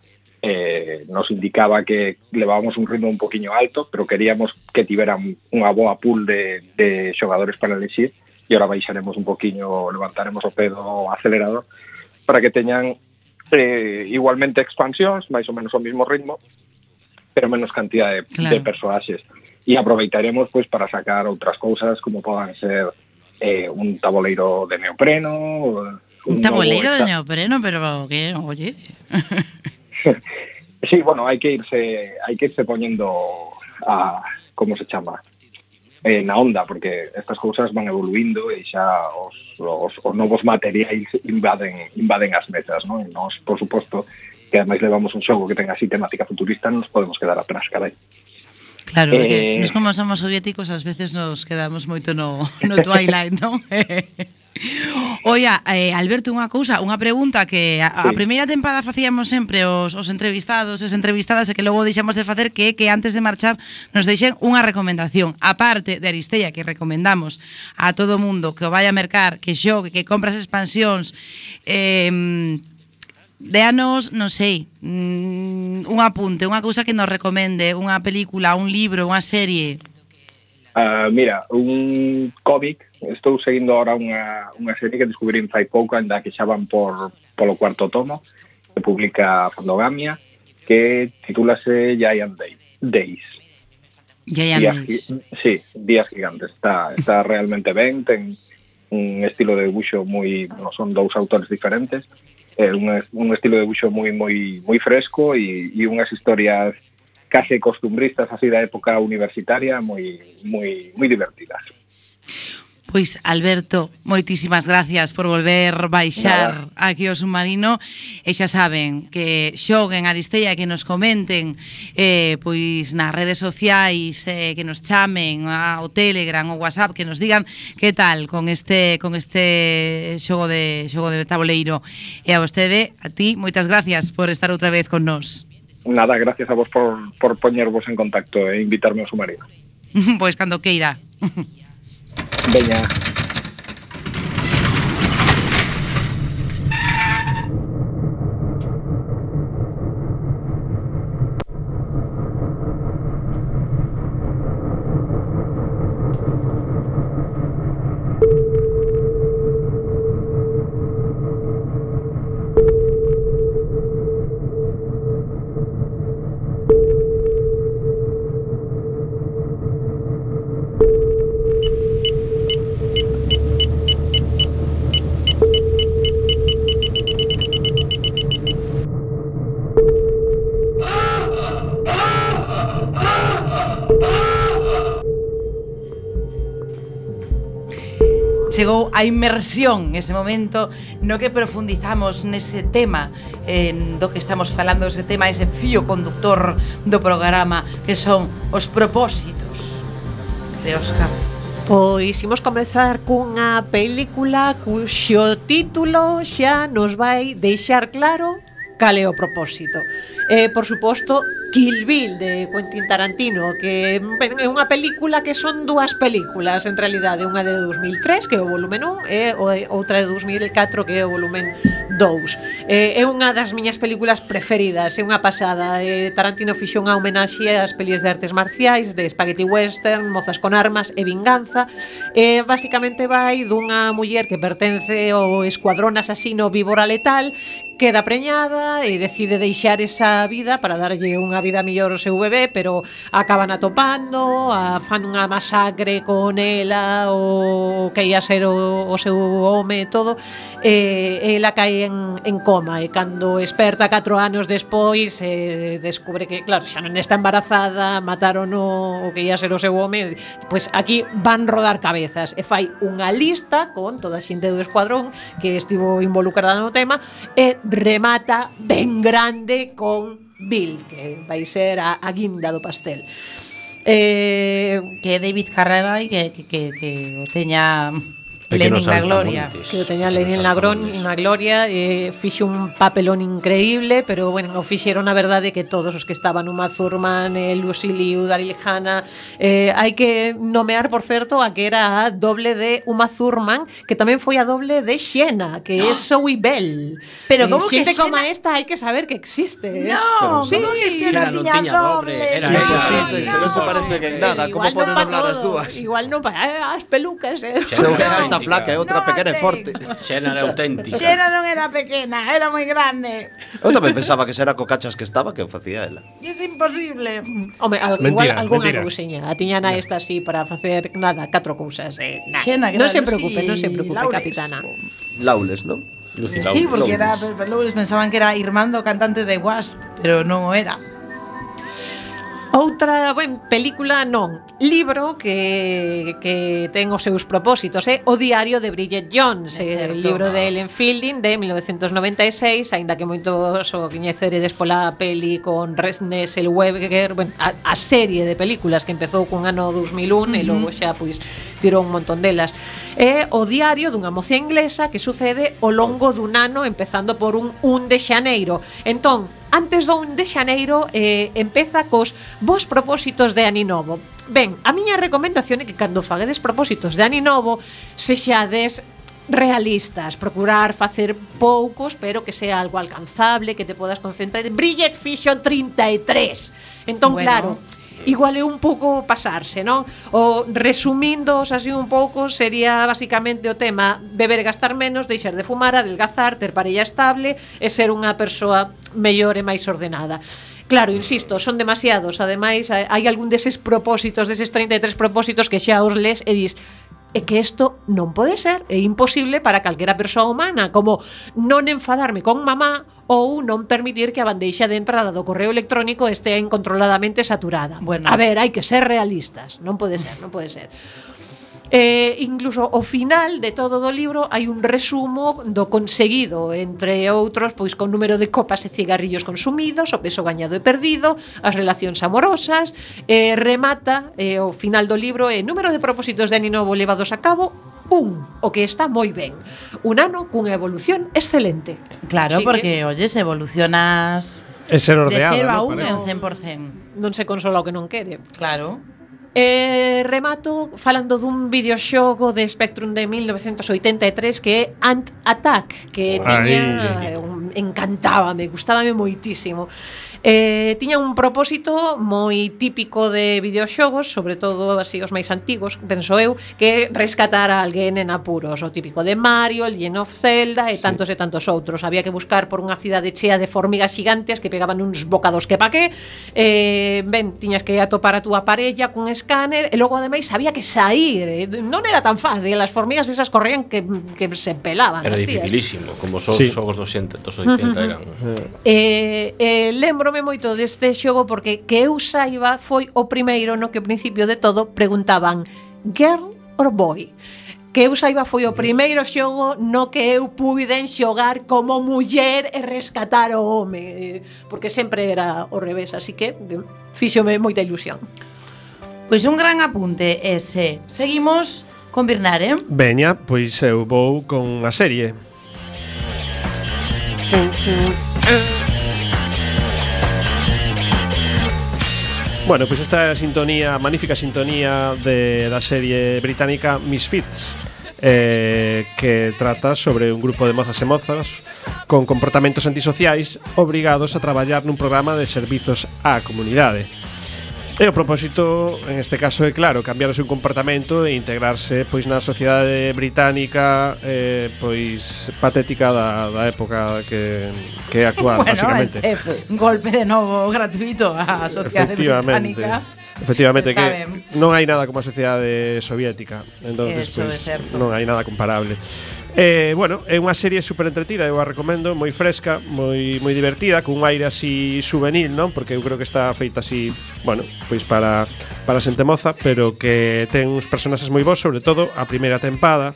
nos indicaba que levábamos un ritmo un poquinho alto, pero queríamos que tiveran unha boa pool de xogadores para elegir, e ahora baixaremos un poquinho, levantaremos o pé do acelerador para que teñan igualmente expansións, máis ou menos o mismo ritmo, pero menos cantidad de personaxes, e aproveitaremos pues para sacar outras cousas como podan ser un tabuleiro de neopreno, un tabuleiro de neopreno, pero que, oye. Sí, bueno, hai que irse poñendo como se chama, na onda, porque estas cousas van evoluindo e xa os novos materiais invaden as mesas, ¿no? E nós, por suposto, que ademais levamos un xogo que ten así temática futurista, non nos podemos quedar atrás, carai. Claro, porque nos como somos soviéticos, ás veces nos quedamos moito no Twilight, non? Oia, Alberto, unha pregunta que a primeira tempada facíamos sempre os entrevistados, as entrevistadas, e que logo deixamos de facer, que antes de marchar nos deixen unha recomendación. A parte de Aristella, que recomendamos a todo mundo que o vaya a mercar, que xogue, que compras expansións, déanos, non sei, un apunte, unha cousa que nos recomende, unha película, un libro, unha serie. Mira, un cómic, estou seguindo ahora unha serie que descubrín fai pouco, ainda que xa van polo 4º tomo, que publica Fandogamia, que titúlase Giant Days. Giant Days. Sí, Días Gigantes. Está realmente ben, ten un estilo de dibuixo moi, son 2 autores diferentes, un estilo de dibuixo moi fresco e unhas historias case costumbristas así da época universitaria moi divertidas. Pois, Alberto, moitísimas gracias por volver baixar aquí ao submarino, e xa saben que xoguen Aristella, que nos comenten pois nas redes sociais, que nos chamen ao Telegram, ao WhatsApp, que nos digan que tal con este xogo de tabuleiro. E a vostede, a ti, moitas gracias por estar outra vez con nós. Nada, gracias a vos por poñervos en contacto e invitarme ao submarino. Pois cando queira. Veña. Chegou a inmersión, ese momento no que profundizamos nese tema do que estamos falando, ese tema, ese fío conductor do programa, que son os propósitos de Óscar. Pois imos comezar cunha película cuxo título xa nos vai deixar claro cal é o propósito. Por suposto, Kill Bill de Quentin Tarantino, que é unha película que son dúas películas en realidade, unha de 2003 que é o volumen 1 e outra de 2004 que é o volumen 2. É unha das miñas películas preferidas, é unha pasada. Tarantino fixo unha homenaxe ás pelis de artes marciais, de spaghetti western, Mozas con armas e vinganza. Basicamente vai dunha muller que pertence ao escuadrón asasino Víbora Letal, queda preñada e decide deixar esa vida para darlle unha vida mellor ao seu bebé, pero acaban atopando, fan unha masacre con ela, o que ia ser o seu home e todo, e ela cae en coma, e cando esperta 4 anos despois descubre que, claro, xa non está embarazada, mataron o que ia ser o seu home, pois aquí van rodar cabezas, e fai unha lista con toda a xente do escuadrón que estivo involucrada no tema, e remata ben grande con Bill, que vai ser a guinda do pastel. Que David Carradine que o teña Lenin na gloria. Que o teña Lenin na gloria, fixe un papelón increíble, pero bueno, o fixeron a verdade que todos os que estaban, Uma Thurman, Lucy Liu, Daryl Hannah, hai que nomear, por certo, a que era a doble de Uma Thurman, que tamén foi a doble de Xena, que é Zoe Bell. Pero como que xente Xena... como esta hai que saber que existe. No, sí, como que Xena non tiña doble. era Se non se parecen en nada, como poden hablar as dúas? Igual non para as pelucas, Son que alta flaca e outra pequena e forte. Xena era auténtica. Xena non era pequena, era moi grande. Eu tamén pensaba que era co cachas que estaba que o facía ela. Es imposible. Home, Mentira, igual algunha mentira. cousiña. A tiña na esta así para facer nada, 4 cousas. Xena, que Non era se Lucy preocupe, non se preocupe, Lawless. capitana. Lawless, non? Sí, porque era Lawless, pensaban que era Irmando, cantante de Wasp, pero non o era. Outra, película non, libro que ten os seus propósitos, O diario de Bridget Jones, el libro de Ellen Fielding de 1996, aínda que moitos o coñeceredes pola peli con René Zellweger, a serie de películas que empezou cun ano 2001 e logo xa pois tirou un montón delas. É o diario dunha moza inglesa que sucede ao longo dun ano, empezando por un 1 de xaneiro. Entón, antes do 1 de xaneiro empeza cos vos propósitos de Aninovo. Ben, a miña recomendación é que cando faguedes propósitos de Aninovo sexades realistas, procurar facer poucos, pero que sea algo alcanzable, que te podas concentrar. Bridget fixo 33. Entón, bueno, claro, igual é un pouco pasarse, non? O resumindos así un pouco sería basicamente o tema beber e gastar menos, deixar de fumar, adelgazar, ter parella estable e ser unha persoa mellor e máis ordenada. Claro, insisto, son demasiados. Ademais, hai algún deses propósitos, deses 33 propósitos que xa os les e dis é que isto non pode ser, é imposible para calquera persoa humana, como non enfadarme con mamá ou non permitir que a bandeixa de entrada do correo electrónico estea incontroladamente saturada. Bueno. A ver, hai que ser realistas, non pode ser, non pode ser. Incluso ao final de todo o libro hai un resumo do conseguido, entre outros, pois con número de copas e cigarrillos consumidos, o peso gañado e perdido, as relacións amorosas, remata ao final do libro número de propósitos de Aninovo levados a cabo, o que está moi ben. Un ano cunha evolución excelente. Claro, así porque, oyes, evolucionas É ser de ordeado, 0 a ¿no? 1 Parece. en 100%. Non se consola o que non quere. Claro. Remato falando dun videoxogo de Spectrum de 1983 que é Ant Attack, que encantábame, gustábame moitísimo. Tiña un propósito moi típico de videoxogos, sobre todo así os máis antigos, penso eu, que rescatar a alguén en apuros, o típico de Mario, Legend of Zelda e tantos outros. Había que buscar por unha cidade chea de formigas gigantes que pegaban uns bocados que pa que. Tiñas que atopar a túa parella cun escáner e logo ademais había que sair. Non era tan fácil, as formigas esas corrían que se pelaban. Era dificilísimo, como os xogos dos 80 eran. Lembrome moito deste xogo porque que eu saiba foi o primeiro no que ao principio de todo preguntaban girl or boy. Que eu saiba foi o primeiro xogo no que eu puiden xogar como muller e rescatar o home, porque sempre era ao revés, así que fíxome moita ilusión. Pois un gran apunte ese. Seguimos con Birnar, Veña, pois eu vou con a serie. Bueno, pois esta sintonía, magnífica sintonía da serie británica Misfits, que trata sobre un grupo de mozas e mozas con comportamentos antisociais obrigados a traballar nun programa de servizos á comunidade. E o propósito, en este caso, é claro, cambiar o seu comportamento e integrarse pois na sociedade británica pois patética da época que é actual, bueno, basicamente. Un golpe de novo gratuito á sociedade británica. Efectivamente, que non hai nada como a sociedade soviética. Entonces, pois, non hai nada comparable. Bueno, é unha serie super entretida, eu a recomendo, moi fresca, moi divertida, cun aire así juvenil, non? Porque eu creo que está feita así, bueno, pois para xente moza, pero que ten uns personaxes moi bons, sobre todo a primeira tempada,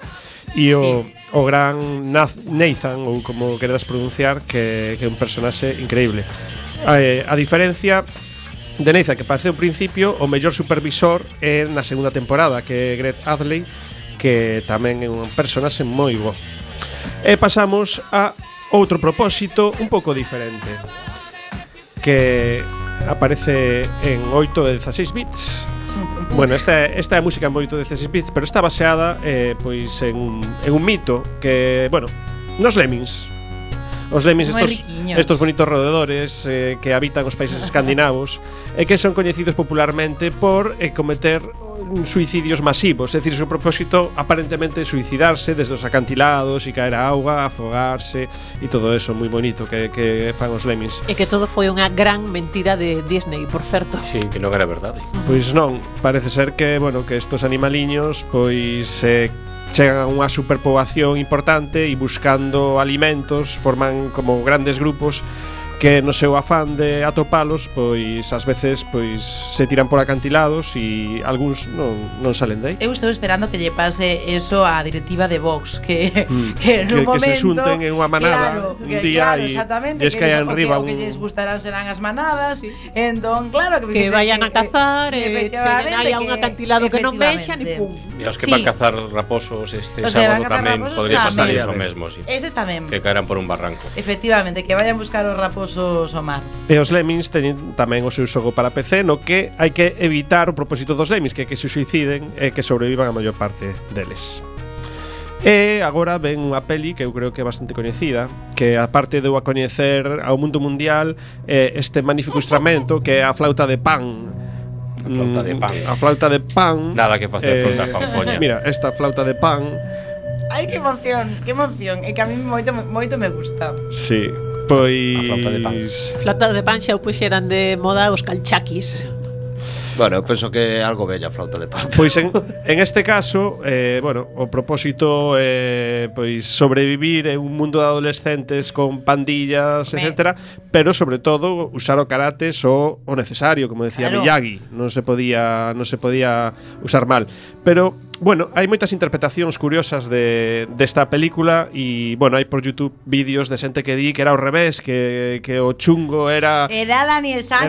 e o gran Nathan, ou como queredas pronunciar, que é un personaxe increíble. A diferencia de Nathan, que parece ao principio, o mellor supervisor é na segunda temporada, que é Greg Adley, que tamén é un personaxe moi bo. E pasamos a outro propósito un pouco diferente, que aparece en 8 e 16 bits. Bueno, esta é a música en 8 e 16 bits, pero está baseada pois en un mito que, bueno, nos Lemmings. Os Lemmings, estos bonitos roedores que habitan os países escandinavos e que son coñecidos popularmente por cometer suicidios masivos, é dicir, o seu propósito aparentemente é suicidarse desde os acantilados e caer a auga, afogarse e todo eso moi bonito que fan os Lemmings. E que todo foi unha gran mentira de Disney, por certo. Sí, que non era verdade. Pois non, parece ser que, bueno, que estos animaliños pois chegan a unha superpoboación importante e buscando alimentos forman como grandes grupos que no seu afán de atopalos, pois ás veces pois se tiran por acantilados e algúns non salen de aí. Eu estou esperando que lle pase eso á directiva de Vox, que nun momento que se xunten en unha manada un día e lles caian riba o que lles gustarán serán as manadas, entón claro que vayan a cazar e hai un acantilado que non vexan e pum. E os que van cazar raposos sábado tamén podría pasar iso mesmo, Eses tamén. Que caerán por un barranco. Efectivamente, que vayan buscar os raposos ao mar. E os Lemmings teñen tamén o seu xogo para PC, no que hai que evitar o propósito dos Lemmings, que se suiciden e que sobrevivan a maior parte deles. E agora ven unha peli que eu creo que é bastante coñecida, que aparte de eu a coñecer ao mundo mundial este magnífico instrumento que é a flauta de pan. A flauta de pan. Nada que facer fronte a fanfoña. Mira, esta flauta de pan. Ai, que emoción, é que a mí moito me gusta. Sí. Pois a flauta de pan. Flauta de pan xa o puxeran de moda os calchaquis. Bueno, eu penso que é algo bella a flauta de pan. Pois en este caso, bueno, o propósito é pois sobrevivir en un mundo de adolescentes con pandillas, etcétera, pero sobre todo usar o karate só o necesario, como decía Miyagi, non se podía usar mal. Pero bueno, hai moitas interpretacións curiosas desta película e, bueno, hai por YouTube vídeos de xente que di que era ao revés, que o chungo era Daniel San.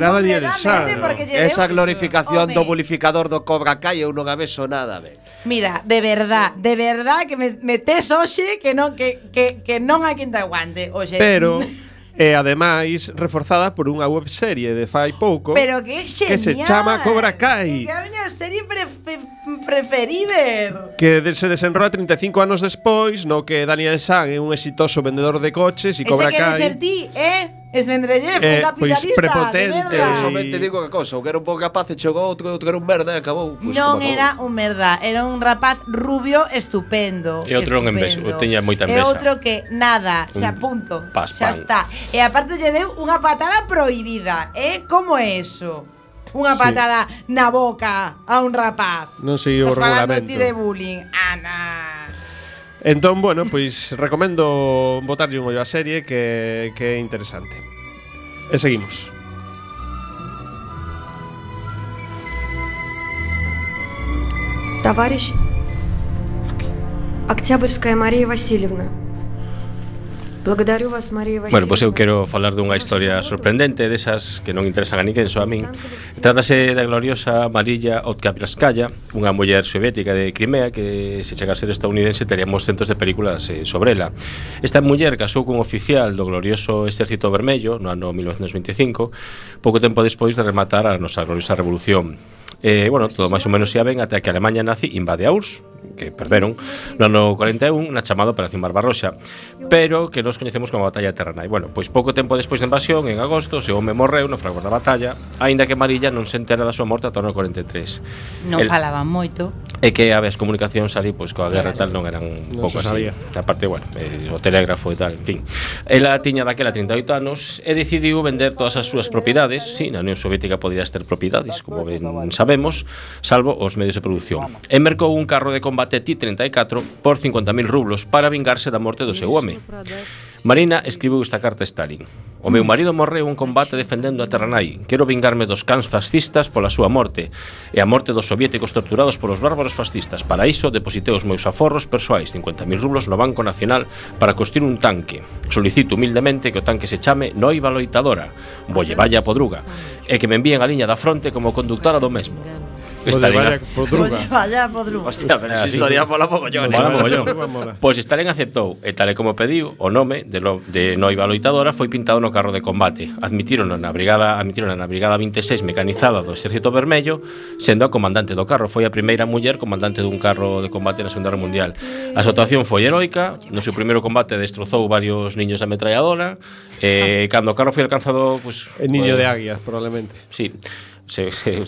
Esa glorificación do bulificador do Cobra Kai eu non a vexo nada, Mira, de verdad que me tes hoxe que non hai quen te aguante, hoxe. Pero e ademais reforzada por unha webserie de fai pouco, pero que genial, que se chama Cobra Kai, que é a miña serie preferida, que se desenrola 35 anos despois, no que Daniel San é un exitoso vendedor de coches e Cobra Kai ese que ser ti, Esvendrellev, un capitalista pois prepotente. Somente digo que cousa, o que era un pouco capaz e chegou outro que era un merda e acabou. Pues non era un merda, era un rapaz rubio estupendo. E outro non envexo, teña moita envexa. E outro que nada, xa punto, xa está. E aparte lle deu unha patada prohibida, como é eso? Unha patada na boca a un rapaz. Non sei o regulamento. Estás falando ti de bullying, Ana. Entón, bueno, pois recomendo botarlle un ollo á serie que é interesante. E seguimos. Товарищ Октябрьская Мария Васильевна. Bueno, pois eu quero falar dunha historia sorprendente desas que non interesan a ninguén, só a min. Trátase da gloriosa Mariya Otkapskaya, unha muller soviética de Crimea que, se chega a ser estadounidense, teríamos centos de películas sobre ela. Esta muller casou cun oficial do glorioso Exército Vermello no ano 1925, pouco tempo despois de rematar a nosa gloriosa revolución. Bueno, todo máis ou menos ia ben até que a Alemanha nazi invade a URSS, que perderon no ano 41 na chamada Operación Barbarossa, pero que nos coñecemos como a Batalla de Terranay. Bueno, pois pouco tempo despois da invasión, en agosto, o seu home morreu no fragor da batalla, aínda que Mariya non se entera da súa morte ata o ano 43. Non falaban moito. E que as comunicacións ali, pois coa guerra e tal, non eran un pouco así. Aparte, bueno, o telégrafo e tal, en fin. Ela tiña daquela 38 anos e decidiu vender todas as súas propiedades. Si, na Unión Soviética podías ter propiedades, como ben sabemos, salvo os medios de produción. E mercou un carro de combate T-34 por 50.000 rublos para vingarse da morte do seu home. Marina escribiu esta carta a Stalin: "O meu marido morreu en combate defendendo a Terranay. Quero vingarme dos cans fascistas pola súa morte e a morte dos soviéticos torturados polos bárbaros fascistas. Para iso depositei os meus aforros persoais, 50.000 rublos, no Banco Nacional para construir un tanque. Solicito humildemente que o tanque se chame Noiva Loitadora, Vollevaya Podruga, e que me envíen a liña da fronte como conductora do mesmo." Vollevaya Podruga. Hostia, pero esa historia mola mogollón. Pois Stalin aceptou, e tal e como pediu, o nome de Noiva Loitadora foi pintado no carro de combate. Admitírono na brigada 26 mecanizada do Exército Vermello, sendo a comandante do carro. Foi a primeira muller comandante dun carro de combate na Segunda Guerra Mundial. A súa actuación foi heroica. No seu primeiro combate destrozou varios niños de ametralladora, e cando o carro foi alcanzado, pues, el niño de águias, probablemente. Sí.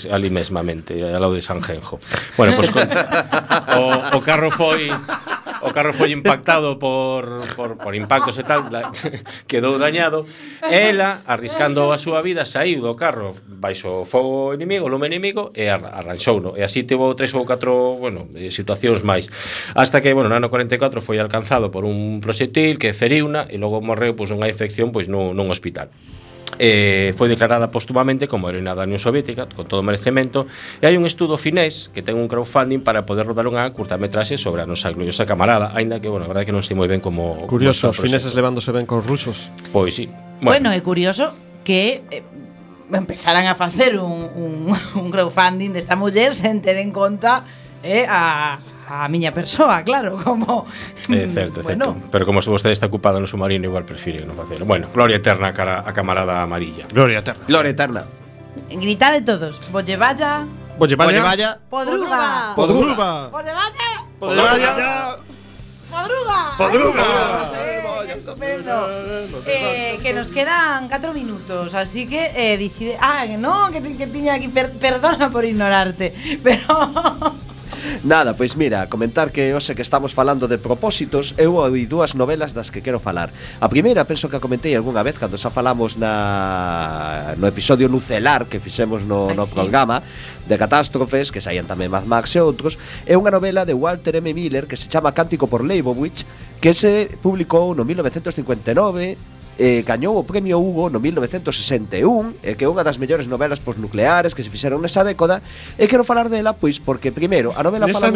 Ali mesmamente, ao lado de Sanjenjo. Bueno, pois o carro foi impactado por impactos e tal, quedou dañado. Ela, arriscando a súa vida, saíu do carro baixo o fogo inimigo, o lume inimigo, e arranxouno. E así tivo 3 ou 4, bueno, situacións máis. Hasta que, bueno, no ano 44 foi alcanzado por un proxectil que feriuna e logo morreu pois unha infección pois nun hospital. Foi declarada póstumamente como heroína da Unión Soviética con todo o merecemento, e hai un estudo finés que ten un crowdfunding para poder rodar unha curtametraxe sobre a nosa gloriosa camarada, aínda que, bueno, a verdade é que non sei moi ben como curioso, os fineses levándose ben cos rusos. Pois sí. Bueno, é curioso que empezaran a facer un crowdfunding desta muller sen ter en conta a miña persoa, claro, como certo, bueno. Pero como se vostede está ocupado no submarino, igual prefire non facelo. Bueno, gloria eterna a camarada Mariya. Gloria eterna. Gloria eterna. Gritade todos. Vollevaya Podruga. Podruga. Podruga. Podruga. Estupendo. Que nos quedan 4 minutos, así que decide. No, que tiña aquí. Perdona por ignorarte, pero Nada, pois mira, comentar que hoxe que estamos falando de propósitos, eu ouí dúas novelas das que quero falar. A primeira, penso que a comentei algunha vez cando xa falamos no episodio nucelar que fixemos no programa de catástrofes, que saían tamén Mad Max e outros. É unha novela de Walter M. Miller que se chama Cántico por Leibowitz, que se publicou no 1959. Gañou o premio Hugo no 1961, que é unha das mellores novelas posnucleares que se fixeron nesa década. E quero falar dela, pois, porque primeiro a novela fala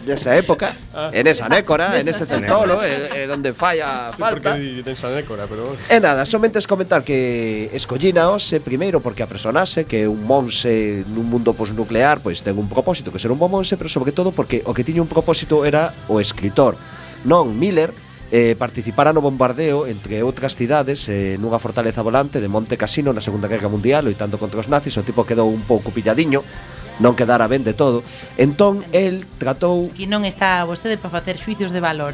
nesa época, en esa nécora, en ese centolo, donde falla falta. Nesa nécora, pero E nada, somente es comentar que escollina hoxe primeiro porque a personaxe, que é un monse nun mundo posnuclear, pois ten un propósito que ser un bon monse, pero sobre todo porque o que tiña un propósito era o escritor. Non Miller participara no bombardeo, entre outras cidades, nunha fortaleza volante de Monte Cassino na Segunda Guerra Mundial, loitando contra os nazis. O tipo quedou un pouco pilladiño, non quedara ben de todo. Entón, el tratou... Aquí non está vostede para facer xuicios de valor,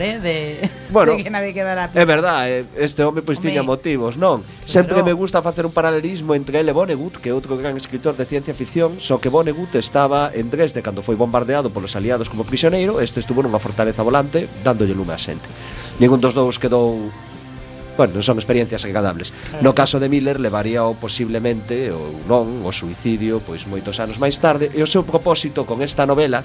bueno, de que nadie quedara... É verdade, este home pois tiña motivos, non? Sempre me gusta facer un paralelismo entre ele e Vonnegut, que é outro gran escritor de ciencia ficción, só que Vonnegut estaba en Dresde cando foi bombardeado polos aliados como prisioneiro, este estuvo nunha fortaleza volante dándolle lume a xente. Ningún dos dous quedou... Bueno, non son experiencias agradables. No caso de Miller levaría posiblemente ou non o suicidio pois moitos anos máis tarde, e o seu propósito con esta novela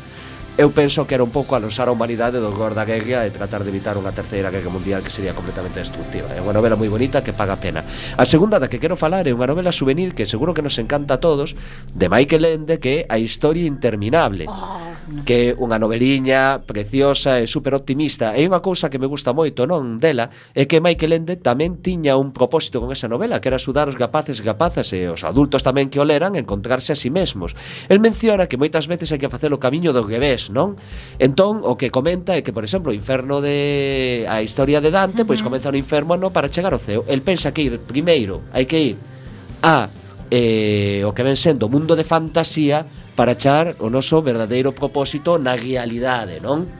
eu penso que era un pouco alonsar a humanidade do horror da guerra e tratar de evitar unha terceira guerra mundial que sería completamente destructiva. É unha novela moi bonita que paga pena. A segunda da que quero falar é unha novela juvenil que seguro que nos encanta a todos, de Michael Ende, que é A historia interminable. que é unha noveliña preciosa e super optimista. E unha cousa que me gusta moito, non, dela, é que Michael Ende tamén tiña un propósito con esa novela, que era axudar os rapaces e rapazas e os adultos tamén que o leran a encontrarse a si mesmos. El menciona que moitas veces hai que facer o camiño do revés, non? Entón, o que comenta é que, por exemplo, o inferno de a historia de Dante, pois comeza no inferno para chegar ao ceo. El pensa que primeiro hai que ir a o que ven sendo o mundo de fantasía para achar o noso verdadeiro propósito na realidade, non?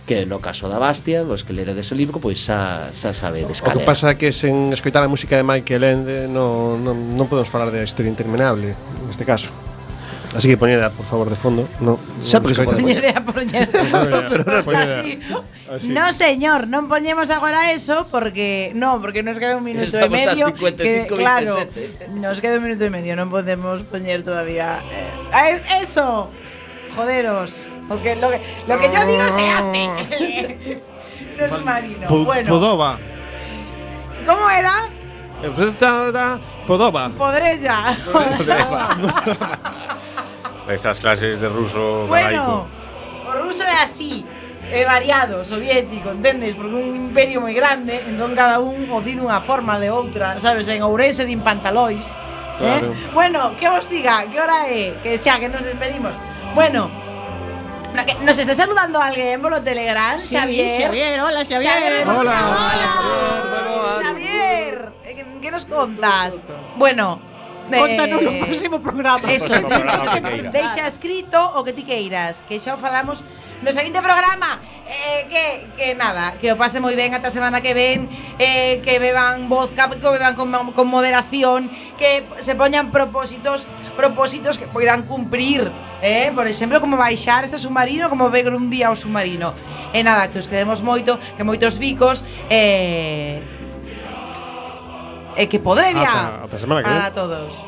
Que no caso da Bastian, os que leredes o libro, pois xa sabedes cal é. O que pasa é que sen escoitar a música de Michael Ende non podemos falar da historia interminable neste caso. Así que poñeda, por favor, de fondo. Sempre que se pode poñeda. No, señor, non poñemos agora eso porque nos queda un minuto e medio. Claro, nos queda un minuto e medio, non podemos poñer todavía. Eso, joderos. Lo que yo digo se hace. No es marino. Bueno. Podova. ¿Cómo era? Podova. Podrella. Esas clases de ruso bueno, o ruso é así, é variado, soviético, entendes? Porque un imperio moi grande, entón cada un o di dunha forma de outra, sabes? En Ourense din pantalois. Claro. Bueno, que vos diga, que hora é? Que xa, que nos despedimos. Bueno, nos está saludando alguén polo Telegram, Sí, Xavier. Xavier, hola, Xavier. Xavier, que nos contas? Bueno, Contanos no próximo programa. Eso, deixa escrito o que ti queiras, que xa o falamos no seguinte programa. Que nada, que o pase moi ben ata a semana que ven, que beban vodka, que o beban con moderación, que se poñan propósitos que poidan cumprir, por exemplo, como baixar este submarino, como ver un día o submarino. E nada, que os queremos moito, que moitos bicos, que podré Ata semana que ven. a todos.